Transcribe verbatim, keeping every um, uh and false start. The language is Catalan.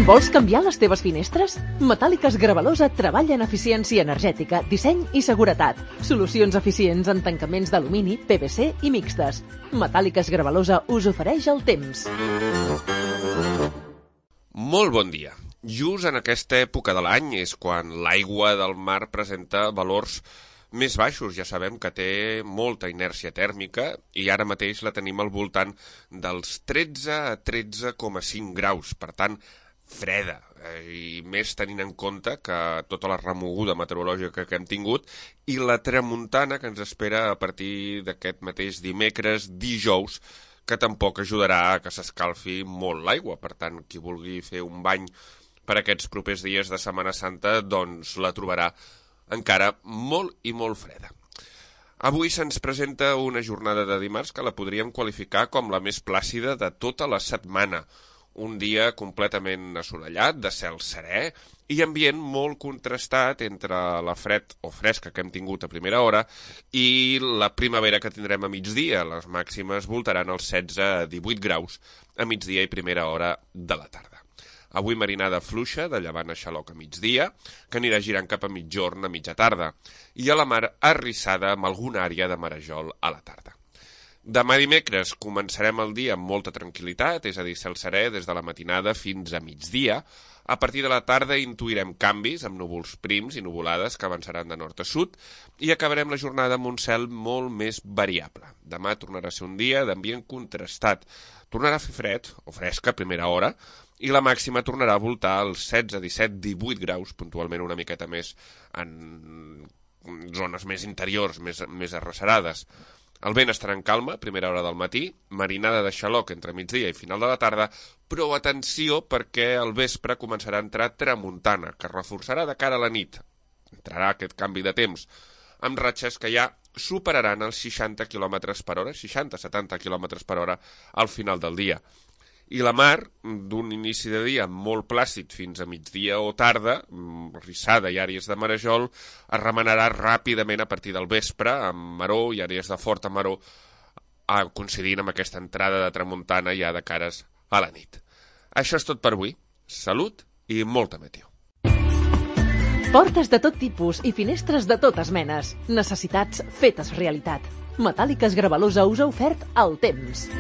Vols canviar les teves finestres? Metàl·liques Gravalosa treballa en eficiència energètica, disseny i seguretat. Solucions eficients en tancaments d'alumini, P V C i mixtes. Metàl·liques Gravalosa us ofereix el temps. Molt bon dia. Just en aquesta època de l'any és quan l'aigua del mar presenta valors més baixos. Ja sabem que té molta inèrcia tèrmica i ara mateix la tenim al voltant dels tretze a tretze coma cinc graus. Per tant, freda, i més tenint en compte que tota la remoguda meteorològica que hem tingut i la tramuntana que ens espera a partir d'aquest mateix dimecres, dijous, que tampoc ajudarà a que s'escalfi molt l'aigua. Per tant, qui vulgui fer un bany per aquests propers dies de Setmana Santa, doncs la trobarà encara molt i molt freda. Avui se'ns presenta una jornada de dimarts que la podríem qualificar com la més plàcida de tota la setmana. Un dia completament assolellat, de cel serè i ambient molt contrastat entre la fred o fresca que hem tingut a primera hora i la primavera que tindrem a migdia. Les màximes voltaran els setze a divuit graus a migdia i primera hora de la tarda. Avui marinada fluixa, de llevant a xaloc a migdia, que anirà girant cap a mitjorn a mitja tarda, i a la mar arrissada amb alguna àrea de marejol a la tarda. Demà dimecres començarem el dia amb molta tranquil·litat, és a dir, cel serè des de la matinada fins a migdia. A partir de la tarda intuirem canvis amb núvols prims i nuvolades que avançaran de nord a sud i acabarem la jornada amb un cel molt més variable. Demà tornarà a ser un dia d'ambient contrastat. Tornarà a fer fred o fresca a primera hora i la màxima tornarà a voltar als setze, disset, divuit graus, puntualment una miqueta més en zones més interiors, més, més arrecerades. El vent estarà en calma, primera hora del matí, marinada de xaloc entre migdia i final de la tarda, però atenció perquè al vespre començarà a entrar tramuntana, que reforçarà de cara a la nit. Entrarà aquest canvi de temps, amb ratxes que ja superaran els seixanta quilòmetres per hora, seixanta a setanta quilòmetres per hora al final del dia. I la mar, d'un inici de dia molt plàcid fins a migdia o tarda, rissada i àrees de marejol, es remenarà ràpidament a partir del vespre, amb maror i àrees de forta maror, coincidint amb aquesta entrada de tramuntana ja de cares a la nit. Això és tot per avui. Salut i molta meteo. Portes de tot tipus i finestres de totes menes. Necessitats fetes realitat. Metàl·liques Gravalosa us ha ofert el temps.